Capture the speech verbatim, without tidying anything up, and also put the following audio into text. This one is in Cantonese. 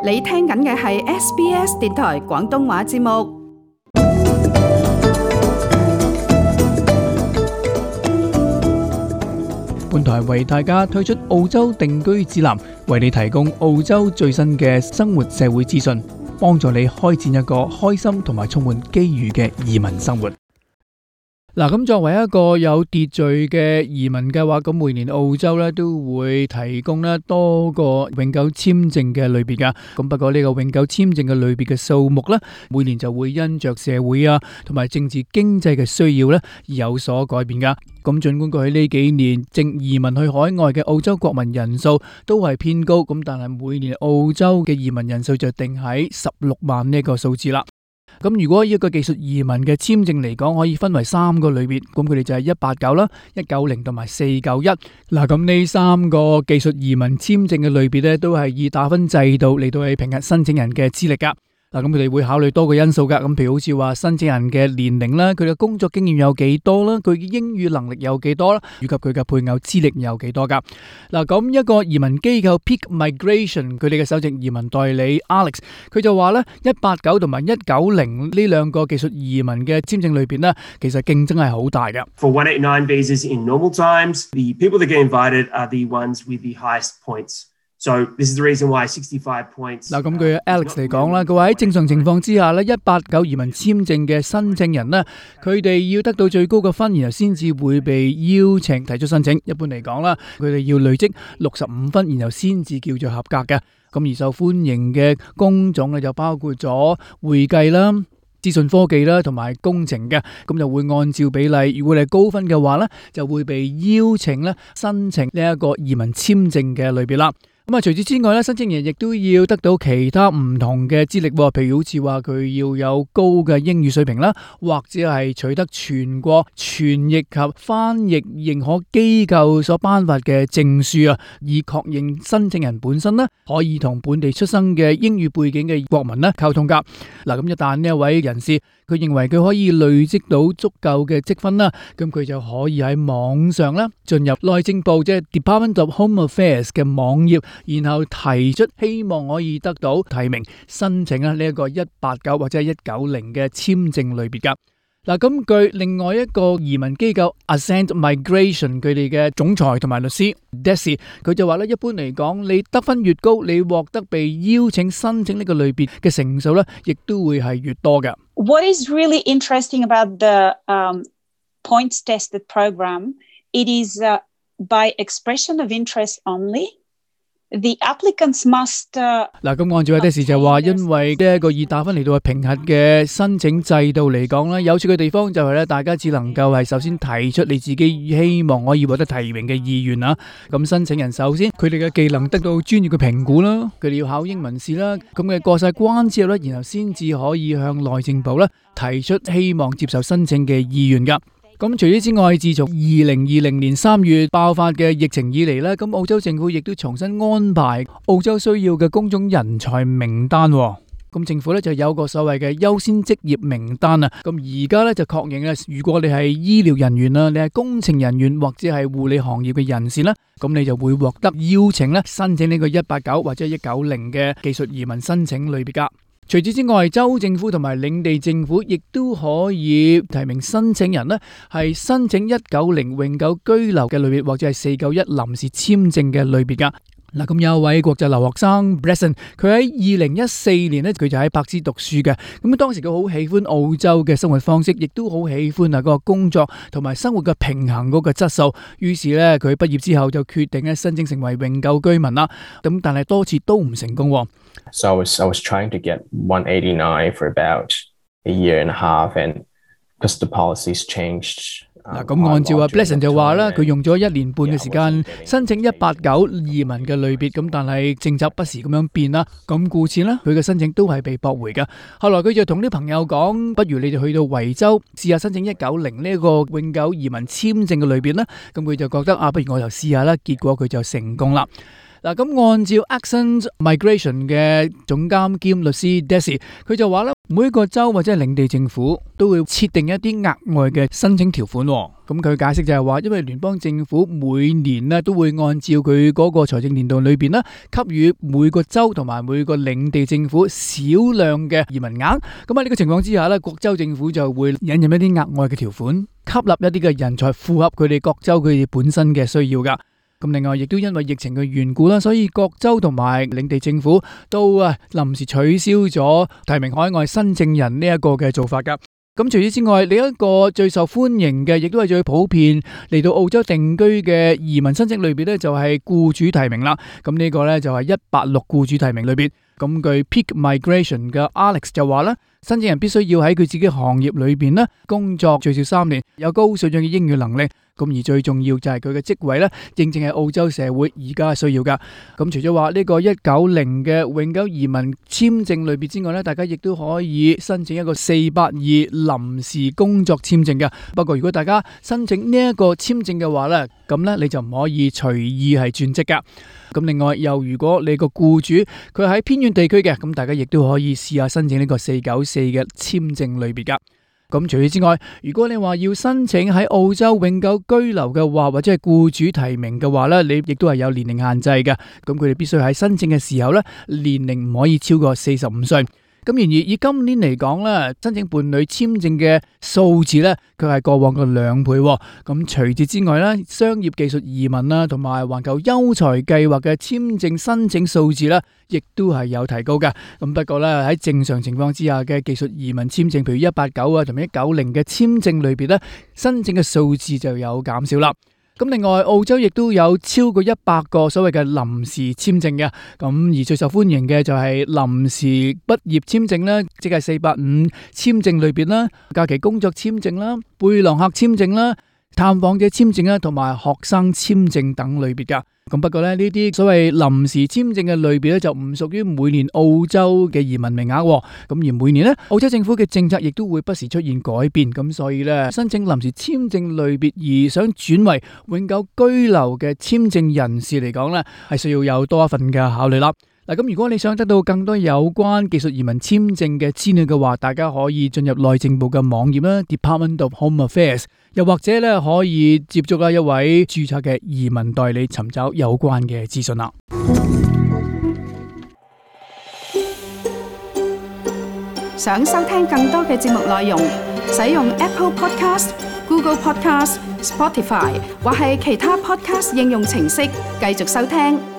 你聽緊嘅係 S B S 電台廣東話節目。本台為大家推出澳洲定居指南，為你提供澳洲最新嘅生活社會資訊，幫助你開展一個開心同埋充滿機遇嘅移民生活。嗱，咁作為一個有秩序嘅移民計劃，咁每年澳洲咧都會提供咧多個永久簽證嘅類別噶。咁不過呢個永久簽證嘅類別嘅數目咧，每年就會因着社會啊同埋政治經濟嘅需要咧而有所改變噶。咁盡管過去呢幾年正移民去海外嘅澳洲國民人數都係偏高，咁但係每年澳洲嘅移民人數就定喺十六萬呢個數字啦。咁如果一個技術移民嘅簽證嚟講，可以分為三個類別，咁佢哋就係一八九啦、一九零同埋四九一。嗱，咁呢三個技術移民簽證嘅類別咧，都係以打分制度嚟到去評核申請人嘅資歷噶。嗱，咁佢哋會考慮多個因素噶，咁譬如好似話申請人嘅年齡啦，佢嘅工作經驗有幾多啦，佢嘅英語能力有幾多啦，以及佢嘅配偶資歷有幾多噶。嗱，咁一個移民機構 Peak Migration 佢哋嘅首席移民代理 Alex， 佢就話咧，一八九同埋一九零呢兩個技術移民嘅簽證裏邊咧，其實競爭係好大嘅。For one eighty-nine visas in normal times, the people that get invited are the ones with the highest points. So this is the reason why sixty-five points. 嗱，咁據 Alex 嚟講啦，佢話喺正常情況之下咧，一八九移民簽證嘅申請人咧，佢哋要得到最高嘅分，然後先至會被邀請提出申請。一般嚟講啦，佢哋要累積六十五分，然後先至叫做合格嘅。咁而受歡迎嘅工種咧，就包括咗會計啦、資訊科技啦同埋工程嘅，咁就會按照比例，如果你係高分嘅話咧，就會被邀請咧申請呢一個移民簽證嘅類別啦。咁啊，除此之外咧，申請人亦都要得到其他唔同嘅資歷，譬如好似話佢要有高嘅英語水平啦，或者係取得全國傳譯及翻譯認可機構所頒發嘅證書啊，以確認申請人本身咧可以同本地出生嘅英語背景嘅國民咧溝通噶。嗱，咁一旦呢一位人士佢認為佢可以累積到足夠嘅積分啦，咁佢就可以喺網上咧進入內政部即係 Department of Home Affairs 嘅網頁，然後提出希望可以得到提名申請啊呢一個一八九或者係一九零嘅簽證類別噶。嗱，咁據另外一個移民機構 Ascent Migration 佢哋嘅總裁同埋律師 Desi， 佢就話咧，一般嚟講，你得分越高，你獲得被邀請申請呢個類別嘅成數咧，亦都會係越多嘅。What is really interesting about the um, points tested program, it is uh, by expression of interest only.The applicants must 嗱，咁按照阿 Desi 就話，因為呢一個以打分嚟到去評核嘅申請制度嚟講咧，有趣嘅地方就係咧，大家只能夠係首先提出你自己希望可以獲得提名嘅意願啊。咁申請人首先佢哋嘅技能得到專業嘅評估啦，佢哋要考英文試啦，咁嘅過晒關之後咧，然後先至可以向內政部咧提出希望接受申請嘅意願噶。咁除此之外，自從二零二零年三月爆發嘅疫情以嚟咧，咁澳洲政府亦都重新安排澳洲需要嘅工種人才名單。咁政府咧就有個所謂嘅優先職業名單啊。咁而家咧就確認咧，如果你係醫療人員啦，你係工程人員或者係護理行業嘅人士咧，咁你就會獲得邀請咧申請呢個一八九或者一九零嘅技術移民申請類別噶。除此之外，州政府同埋領地政府亦都可以提名申請人呢係申請一九零永久居留嘅類別，或者係四九一臨時簽證嘅類別噶。嗱，咁有一位國際留學生 Bresson， 佢喺二零一四年呢，佢就喺柏斯讀書嘅。咁當時佢好喜歡澳洲嘅生活方式，亦都好喜歡啊嗰個工作同埋生活嘅平衡嗰個質素。於是呢，佢畢業之後就決定咧申請成為永久居民啦。咁但係多次都唔成功。So I was I was trying to get one eighty-nine for about a year and a half, and because the policies changed. 嗱，咁按照阿 Blesson 就話啦，佢用咗一年半嘅時間申請一八九移民嘅類別，咁但係政策不時咁樣變啦，咁故此呢，佢嘅申請都係被駁回嘅。後來佢就同啲朋友講，不如你哋去到維州試下申請一九零呢一個永久移民簽證嘅類別啦。咁佢就覺得啊，不如我就試下啦，結果佢就成功啦。嗱，咁按照 Accent Migration 嘅總監兼律師 Desi， 佢就話咧，每一個州或者係領地政府都會設定一啲額外嘅申請條款。咁佢解釋就係話，因為聯邦政府每年咧都會按照佢嗰個財政年度裏邊咧，給予每個州同埋每個領地政府少量嘅移民額。咁喺呢個情況之下咧，各州政府就會引入一啲額外嘅條款，吸納一啲嘅人才，符合佢哋各州佢哋本身嘅需要噶。咁另外亦都因為疫情嘅緣故啦，所以各州同埋領地政府都啊臨時取消咗提名海外新證人呢一個嘅做法噶。咁除此之外，另一個最受歡迎嘅，亦都係最普遍嚟到澳洲定居嘅移民申請類別咧，就係僱主提名啦。咁呢個咧就係一八六僱主提名類別。咁據 Peak Migration 嘅 Alex 就話啦，申請人必須要喺佢自己行業裏邊咧工作最少三年，有高水準嘅英語能力。咁而最重要就係佢嘅職位咧，正正係澳洲社會而家需要噶。咁除咗話呢個一九零嘅永久移民簽證類別之外咧，大家亦都可以申請一個四八二臨時工作簽證嘅。不過如果大家申請呢一個簽證嘅話咧，咁咧你就唔可以隨意係轉職噶。咁另外又如果你個僱主佢喺偏遠地區嘅，咁大家亦都可以試下申請呢個四九四嘅簽證類別噶。咁除此之外，如果你話要申請喺澳洲永久居留嘅話，或者係僱主提名嘅話咧，你亦都係有年齡限制嘅。咁佢哋必須喺申請嘅時候咧，年齡唔可以超過四十五歲。咁然而以今年嚟講咧，申請伴侶簽證嘅數字咧，佢係過往嘅兩倍。咁除此之外咧，商業技術移民啦，同埋環球優才計劃嘅簽證申請數字咧，亦都係有提高嘅。咁不過咧，喺正常情況之下嘅技術移民簽證，譬如一八九啊同埋一九零嘅簽證類別咧，申請嘅數字就有減少啦。咁另外澳洲亦都有超過一百個所謂嘅臨時簽證嘅，咁而最受歡迎嘅就係臨時畢業簽證啦，即係四八五簽證類別啦，假期工作簽證啦，背囊客簽證啦，探訪者簽證啦，同埋學生簽證等類別噶。咁不過咧，呢啲所謂臨時簽證嘅類別咧，就唔屬於每年澳洲嘅移民名額。咁而每年咧，澳洲政府嘅政策亦都會不時出現改變。咁所以咧，申請臨時簽證類別而想轉為永久居留嘅簽證人士嚟講咧，係需要有多一份嘅考慮啦。嗱，咁如果你想得到更多有關技術移民簽證嘅資料嘅話，大家可以進入內政部嘅網頁啦 ，Department of Home Affairs， 又或者咧可以接觸啦一位註冊嘅移民代理，尋找有關嘅資訊啦。想收聽更多嘅節目內容，使用 Apple Podcast、Google Podcast、Spotify 或係其他 Podcast 應用程式繼續收聽。